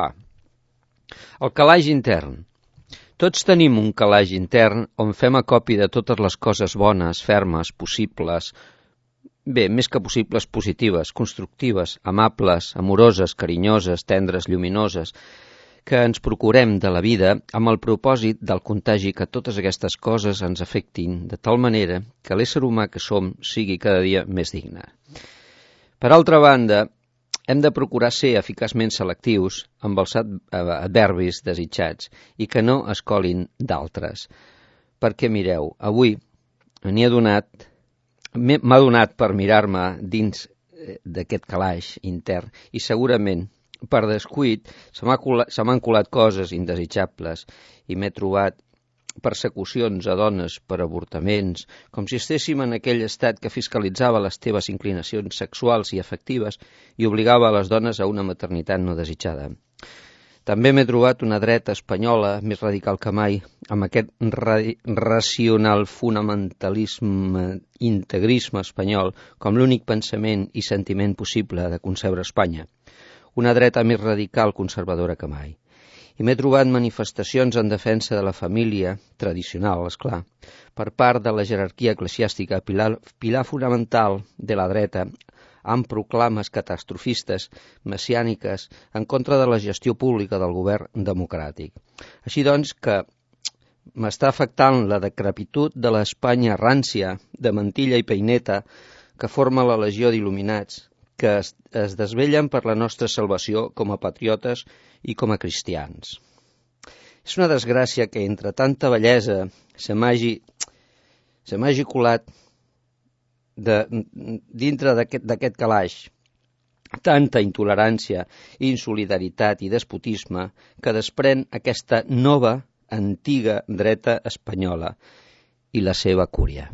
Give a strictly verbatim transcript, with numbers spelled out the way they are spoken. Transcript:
A. El calaix intern. Tots tenim un calaix intern on fem acopi de totes les coses bones, fermes, possibles, bé, més que possibles, positives, constructives, amables, amoroses, carinyoses, tendres, lluminoses, que ens procurem de la vida amb el propòsit del contagi que totes aquestes coses ens afectin de tal manera que l'ésser humà que som sigui cada dia més digne. Per altra banda, hem de procurar ser eficaçment selectius amb els adverbis desitjats i que no es colin d'altres. Perquè, mireu, avui n'hi ha donat, m'ha donat per mirar-me dins d'aquest calaix intern i segurament per descuit se m'han colat coses indesitjables i m'he trobat persecucions a dones per avortaments, com si estéssim en aquell estat que fiscalitzava les teves inclinacions sexuals i afectives i obligava a les dones a una maternitat no desitjada. També m'he trobat una dreta espanyola més radical que mai, amb aquest ra racional fonamentalisme, integrisme espanyol com l'únic pensament i sentiment possible de concebre Espanya. Una dreta més radical conservadora que mai. I m'he trobat manifestacions en defensa de la família, tradicional, esclar, per part de la jerarquia eclesiàstica, pilar, pilar fonamental de la dreta, amb proclames catastrofistes, messiàniques, en contra de la gestió pública del govern democràtic. Així doncs que m'està afectant la decrepitud de l'Espanya rància, de mantilla i peineta, que forma la legió d'il·luminats, que es, es desvellen per la nostra salvació com a patriotes i com a cristians. És una desgràcia que entre tanta bellesa se m'hagi se m'hagi colat de, dintre d'aquest calaix tanta intolerància, insolidaritat i despotisme que desprèn aquesta nova, antiga dreta espanyola i la seva cúria.